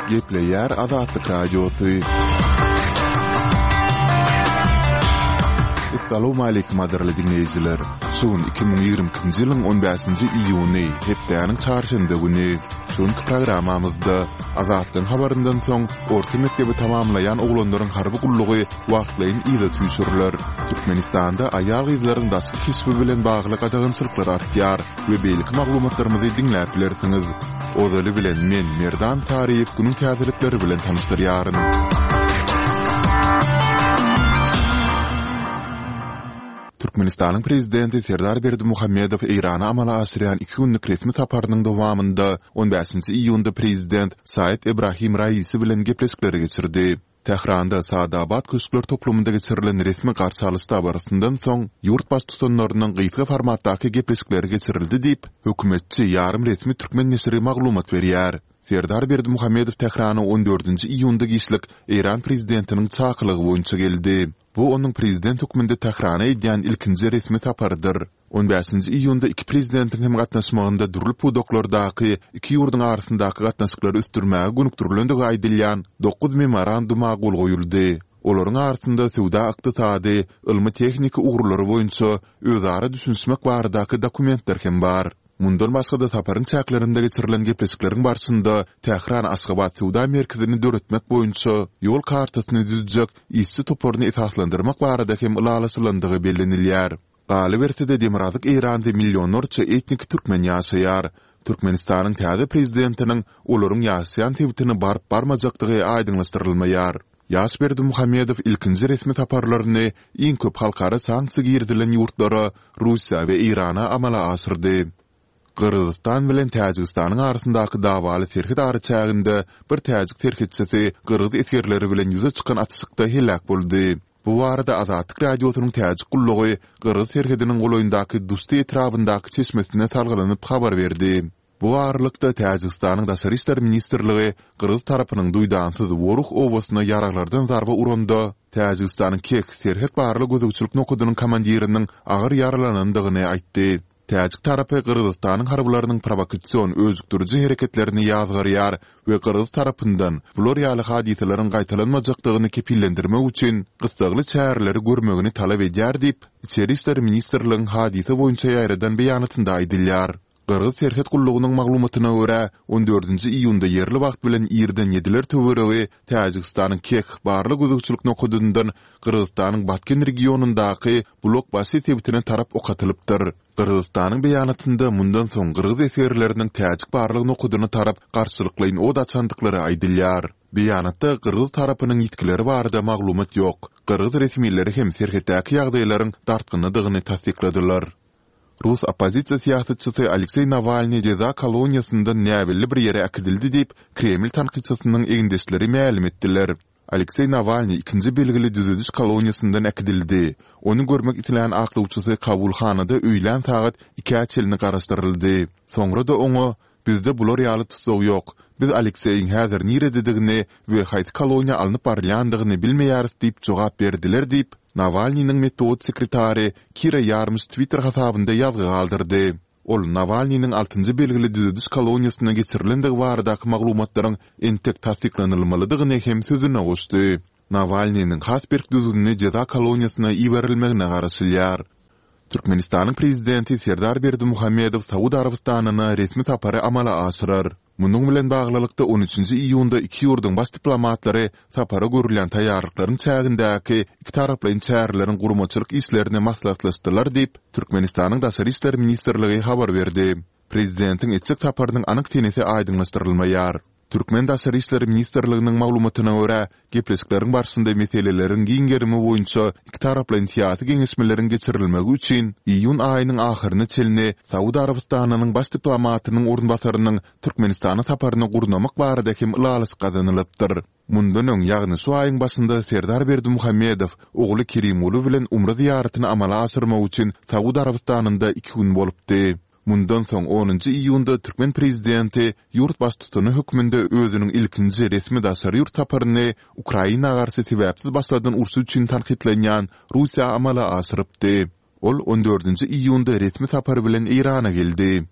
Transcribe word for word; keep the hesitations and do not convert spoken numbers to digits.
Gepleýär Azatlyk Radiosy. Essalawmaleýkim gadyrly diňleýjiler! Şu gün iki müň ýigrimi ikinji ýylyň on bäşinji iýuny, hepdäniň çarşenbe güni. Şu günki programmamyzda Azatlygyň habaryndan soň orta mekdebi tamamlaýan oglanlaryň harby gullugy wagtlaýyn yza süýşüriler. Türkmenistanda aýal-gyzlaryň daşky keşbi bilen bagly gadagançylyklar artýar we beýleki maglumatlarymyzy diňläp bilersiňiz. Ozaly bilen men, Merdan Taryýew günüň täzelikleri bilen tanyşdyrýaryn. Türkmenistanyň Prezidenti Serdar Berdimuhamedow Eýrana amala aşyrýan iki günlük resmi saparynyň dowamynda on bäşinji iýunda Prezident Said Ebrahim Raisi bilen gepleşikleri geçirdi. Tähranda Saadabad köşkler toplumynda geçirilen resmi garşy alyş dabarasyndan soň, ýurt Baştutanlarynyň gysga formatdaky gepleşikleri geçirildi diýip, hökümetçi ýarym resmi türkmen neşiri maglumat berýär. Serdar Berdimuhamedow Tährana on dördünji iýunda giçlik Eýran Prezidentiniň çakylygy boýunça geldi. Bu onuň prezident hökmünde Tährana edýän ilkinji resmi saparydyr. On bäşinji iýunda iki prezidentiň hem gatnaşmagynda dürli pudaklardaky iki ýurduň arasyndaky gatnaşyklary ösdürmäge gönükdirilendigi aýdylýan dokuz memoranduma gol goýuldy. Olaryň arasynda söwda-ykdysady, ylmy-tehniki ugurlary boýunça özara düşünişmek baradaky dokumentler hem bar. Mundan başga-da saparyň çäklerinde geçirilen gepleşikleriň barşynda Tähran-Aşgabat söwda merkezini döretmek boýunça ýol kartasyny düzjek işçi toparyny esaslandyrmak barada hem ylalaşylandygy bellenilýär. Galyberse-de Demirgazyk Eýranda millionlarça etniki türkmen ýaşaýar. Türkmenistanyň täze prezidentiniň olaryň ýaşaýan sebitine baryp-barmajakdygy aýdyňlaşdyrylmaýar. Ýaş Berdimuhamedow ilkinji resmi saparlaryny iň köp halkara sanksiýa girizilen ýurtlara, Russiýa we Eýrana amala aşyrdy. Gyrgyzystan bilen Täjigistanyň arasyndaky dawaly serhet araçäginde bir täjik serhetçisi gyrgyz esgerleri bilen ýüze çykan atyşykda heläk boldy. Bu barada Azatlyk Radiosynyň Täjik gullugy gyrgyz serhediniň golaýyndaky Dusti etrabyndaky çeşmesine salgylanyp habar berdi. Bu aralykda, Täjigistanyň Daşary işler ministrligi gyrgyz tarapynyň duýdansyz Woruh obasyna ýaraglardan zarba uranda, Täjigistanyň Kek serhet barlag-gözegçilik nokadynyň komandiriniň agyr ýaralanandygyny aýtdy. Täjik tarapy Gyrgyzystanyň harbylarynyň prowokasion öjükdiriji hereketlerini ýazgarýar we gyrgyz tarapyndan bular ýaly hadysalaryň gaýtalanmajakdygyny kepillendirmek üçin gyssagly çäreleri görmegini talap edýär diýip, Içeri işler ministrligiň hadysa boýunça ýaýradan beýanatynda aýdylýar. Gyrgyz serhet gullugynyň maglumatyna görä, on dördünji iýunda ýerli wagt bilen irden ýediler töweregi Täjigistanyň Keh barlag-gözegçilik nokadyndan Gyrgyzystanyň Batken regionyndaky Bulak-Başy sebitine tarap ok atylypdyr. Gyrgyzystanyň beýanatynda mundan soň gyrgyz esgerleriniň täjik barlag nokadyna tarap garşylyklaýyn od açandyklary aýdylýar. Beýanatda gyrgyz tarapynyň ýitgileri barada maglumat ýok. Gyrgyz resmileri hem serhetdäki ýagdaýlaryň dartgynlydygyny tassykladylar. Rus oppozisiýa syýasatçysy Alekseý Nawalnyý jeza koloniýasyndan näbelli bir ýere äkidildi diýip, Kreml tankytçysynyň egindeşleri mälim etdiler. Alekseý Nawalnyý ikinji belgili düzediş koloniýasyndan äkidildi. Ony görmek islän aklawçysy kabulhanada öýlän sagat ikä çenli garaşdyryldy. Soňra-da oňa, Bizde bular ýaly tussag ýok. Biz Alekseýiň häzir nirededigini we haýsy koloniýa alnyp barylýandygyny bilmeýäris diýip jogap berdiler diýip, Nawalnynyň metbugat sekretary Kira Ýarmyş Twitter hasabynda ýazgy galdyrdy. Ol Nawalnynyň altynjy belgili düzediş koloniýasyna geçirilendigi baradaky maglumatlaryň entek tassyklanylmalydygyny hem sözüne goşdy. Nawalnynyň has berk düzgünli jeza koloniýasyna iberilmegine garaşylýar. Türkmenistanyň Prezidenti Serdar Berdimuhamedow Saud Arabystanyna resmi sapary amala aşyrar. Munuň bilen baglylykda, on üçünji iýunda iki ýurduň baş diplomatlary sapara görülýän taýýarlyklaryň çägindäki ikitaraplaýyn çäreleriň guramaçylyk işlerini maslahatlaşdylar diýip, Türkmenistanyň Daşary işler ministrligi habar berdi. Prezidentiň etjek saparynyň anyk senesi aýdyňlaşdyrylmaýar. Türkmen Daşary işler ministrliginiň maglumatyna görä, gepleşikleriň barşynda meseleleriň giň gerimi boýunça ikitaraplaýyn syýasy geňeşmeleriň geçirilmegi üçin iýun aýynyň ahyryna çenli Saud Arabystanynyň baş diplomatynyň orunbasarynyň Türkmenistana saparyny gurnamak barada hem ylalaşyk gazanylypdyr. Mundan öň, ýagny şu aýyň başynda Serdar Berdimuhamedow ogly Kerimguly bilen umra zyýaratyny amala aşyrmak üçin Saud Arabystanynda iki gün bolupdy. Mundan soň onunjy iýunda türkmen prezidenti ýurt baştutany hökmünde özüniň ilkinji resmi daşary ýurt saparyny Ukraina garşy sebäpsiz başladan urşy üçin tankytlanýan Russiýa amala aşyrypdy. Ol on dördünji iýunda resmi sapar bilen Eýrana geldi.